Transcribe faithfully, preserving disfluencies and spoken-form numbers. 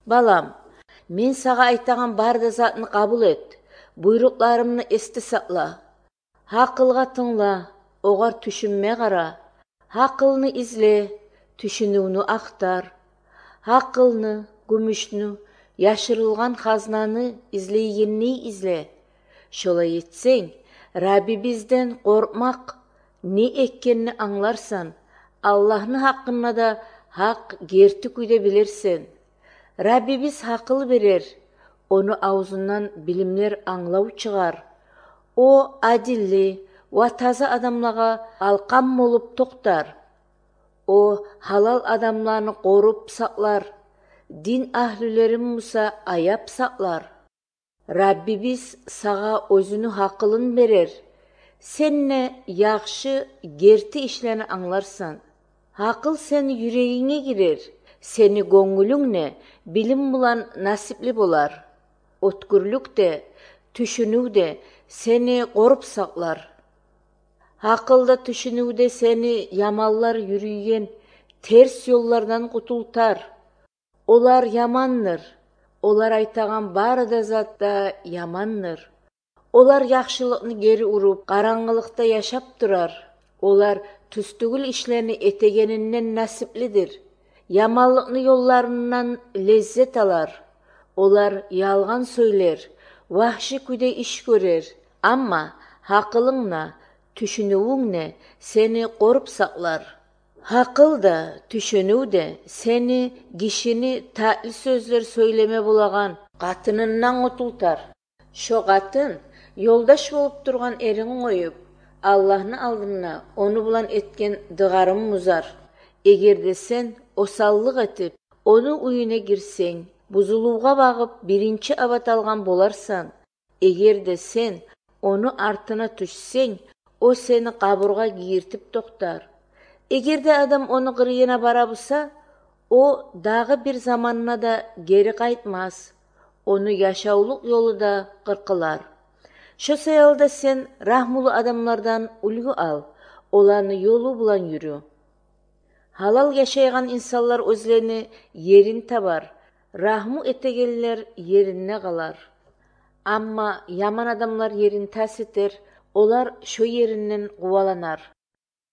Балам, мен сага айтаган барды затны кабыл эт. Буйрукларымны эсте сакла. Акылга тыңла, огар түшүнмөй кара. Акылны изле, түшүнүүнү актар. Акылны, күмүшнү, яшырылган хазнаны излейгенни изле. Шолай этсең, Раббибизден коркмак не эккенini аңларсан, Аллахны хакына да хак керти күйдө билерсен. Раббибиз акыл берер, ону аузунан билимлер аңлау чыгар. О адилли ва таза адамларга алкам болуп токтар. О халал адамларны коруп саклар, дин ахлилерин муса аяп саклар. Раббибиз сага өзүнүн акылын берер. Сенне жакшы керти ишлерни аңларсан. Акыл сени жүрөгүңө кирер, сени көңүлүңне билим булан насипли болар. Өткүрлүк де, түшүнүү де сени коруп саклар. Акылда түшүнүүдө сени ямаллар жүрүйген терс жоллордон кутултар. Олар яманныр, олар айтаган баары да затта яманныр. Олар жакшылыкны кери уруп, караңгылыкта жашап турар. Олар түстүгүл ишлерни этегенинен насиплидир. Яманлыкны жолларынан леззет алар. Олар ялган сөйлер, вахши күйдө иш көрөр. Амма акылыңна, түшүнүүңне сени коруп саклар. Акыл да, түшүнүү де сени кишини таатил сөздөр сөйлеме булаган катынынан кутултар. Шо катын жолдош болуп турган эриң коюп, Аллахны алдына ону булан эткен дыгарым музар. Эгерде сен осаллык этип, ону үйүнө кирсең, бузулууга багып биринчи абат алган боларсан. Эгерде сен ону артына түшсең, о сени кабырга кийиртип токтар. Эгерде адам ону кырыйына барабыса, о дагы бир заманына да кери кайтмас. Ону жашаулук жолу да кыркылар. Шо саялда сен рахмулуу адамдардан үлгү ал, оларны жолу булан жүрү. Халал жашайган инсанлар өзлөрүнө ерин табар, рахму этегенлер ерине калар. Амма яман адамлар ерин тас этер, олар шо еринен кубаланар.